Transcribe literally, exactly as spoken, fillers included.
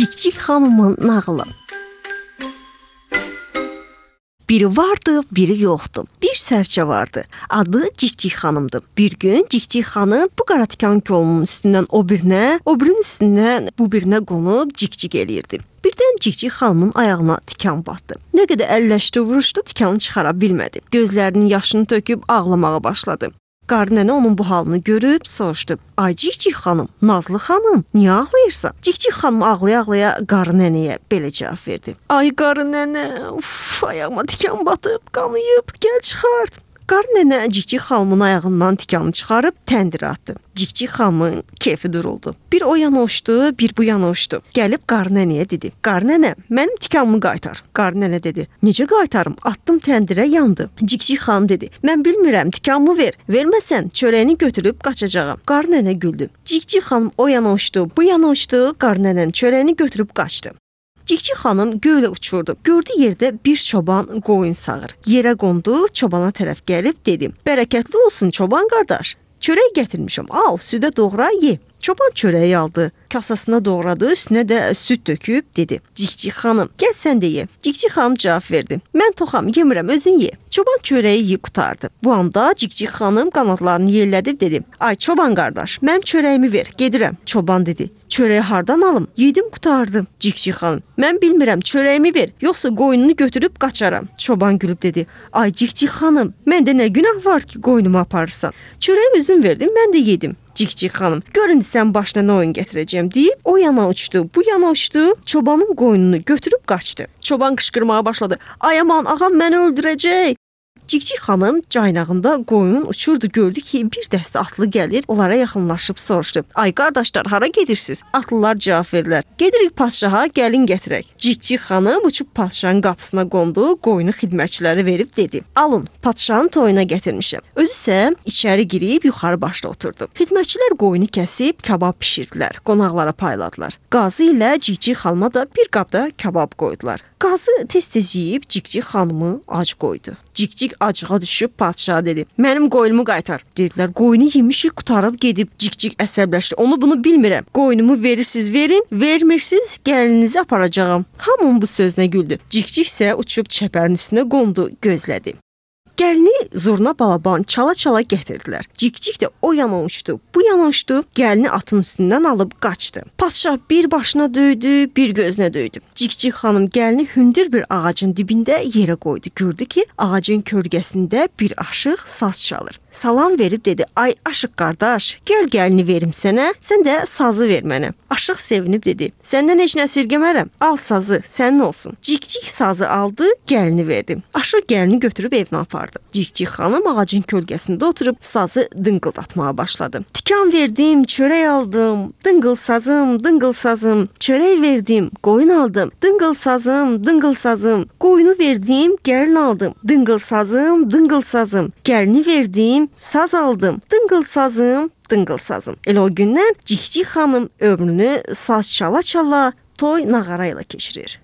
Cikcik xanımın nağılı. Biri vardı, biri yoxdu. Bir sərçə vardı. Adı Cikcik xanımdı. Bir gün Cikcik xanım bu qara tikan kolunun üstündən o birinə, o birinin üstündən bu birinə qonub cikcik eləyirdi. Birdən Cikcik xanımın ayağına tikan batdı. Nə qədər əlləşdi, vuruşdu, tikanı çıxara bilmədi. Gözlərinin yaşını töküb ağlamağa başladı. Qarı nənə onun bu halını görüb soruşdu. Ay Cikcik xanım, Nazlı xanım, niyə ağlayırsan? Cikcik xanım ağlaya-ağlaya qarı nənəyə belə cavab verdi. Ay qarı nənə, uf, ayağıma tikan batıb, qanıyıb, gəl çıxart. Qarı nənə Cikcik xanımın ayağından tikanı çıxarıb təndirə atdı. Cikcik xanımın keyfi duruldu. Bir o yana uçdu, bir bu yana uçdu. Gəlib qarı nənəyə dedi. Qarı nənə, mənim tikanımı qaytar. Qarı nənə dedi. Necə qaytarım? Atdım təndirə, yandı. Cikcik xanım dedi. Mən bilmirəm, tikanımı ver. Verməsən çörəyini götürüb qaçacağam. Qarı nənə güldü. Cikcik xanım o yana uçdu, bu yana uçdu. Qarı nənənin çörəyini götürüb qaçdı. Cikcik xanım göylə uçurdu. Gördü yerdə bir çoban qoyun sağır. Yerə qondu, çobana tərəf gəlib dedi. Bərəkətli olsun çoban qardaş. Çörək gətirmişəm. Al, südə doğra, ye. Çoban çörəyi aldı, kasasına doğradı, üstünə də süd töküb dedi. Cikcik xanım, gəl sən də ye. Cikcik xanım cavab verdi. Mən toxam, yemirəm, özün ye. Çoban çörəyi yeyib qutardı. Bu anda Cikcik xanım qanadlarını yellədib dedi. Ay çoban qardaş, mənim çörəyimi ver, gedirəm. Çoban dedi. Çörəyi hardan alım? Yedim, qutardım. Cikcik xanım, mən bilmirəm, çörəyimi ver, yoxsa qoyununu götürüb qaçaram. Çoban gülüb dedi. Ay Cikcik xanım, məndə nə günah var ki, qoyunumu aparırsan? Çörəyi özün verdin, mən də yedim. Cikcik xanım, gör indi sən başına nə oyun gətirəcəm deyib, o yana uçdu, bu yana uçdu, çobanın qoyununu götürüb qaçdı. Çoban qışqırmağa başladı. Ay aman, ağam məni öldürəcək. Cikcik xanım caynağında qoyun uçurdu, gördü ki, bir dəstə atlı gəlir, onlara yaxınlaşıb soruşdu. Ay qardaşlar, hara gedirsiniz? Atlılar cavab verdilər. Gedirik padşaha, gəlin gətirək. Cikcik xanım uçub padşahın qapısına qondu, qoyunu xidmətçilərə verib dedi. Alın, padşahın toyuna gətirmişəm. Özü isə içəri girib yuxarı başda oturdu. Xidmətçilər qoyunu kəsib kabab bişirdilər, qonaqlara payladılar. Qazı ilə Cikcik xanıma da bir qabda kabab qoydular. Qazı tez-tez yeyib Cikcik xanımı ac qoydu. Cikcik acığa düşüb padşaha dedi. Mənim qoyunumu qaytar. Dedilər, qoyunu yemişik, qutarıb gedib. Cikcik əsəbləşdi. Onu bunu bilmirəm. Qoyunumu verirsiniz, verin. Vermirsiniz, gəlinizi aparacağam. Hamının bu sözünə güldü. Cikcik isə uçub çəpərin üstünə qondu, gözlədi. Gəlini zurna balaban çala-çala gətirdilər. Cikcik də o yana uçdu, bu yana uçdu, gəlini atın üstündən alıb qaçdı. Padşah bir başına döydü, bir gözünə döydü. Cikcik xanım gəlini hündür bir ağacın dibində yerə qoydu. Gördü ki, ağacın kölgəsində bir aşıq saz çalır. Salam verib dedi, ay aşıq qardaş, gəl gəlini verim sənə, sən də sazı ver mənə. Aşıq sevinib dedi, səndən heç nə əsirgəmərəm, al sazı, sənin olsun. Cikcik sazı aldı, gəlini verdi. Aşıq gəlini götürüb evinə apardı. Cikcik xanım ağacın kölgəsində oturub sazı dıngıldatmağa başladı. Tikan verdim, çörək aldım, dıngıl sazım, dıngıl sazım, çörək verdim, qoyun aldım, dıngıl sazım, dıngıl sazım, qoyunu verdim, gəlin aldım, dıngıl sazım, dıngıl sazım, gəlini verdim, saz aldım, dıngıl sazım, dıngıl sazım. Elə o gündən Cikcik xanım ömrünü saz çala-çala, toy nağara ilə keçirir.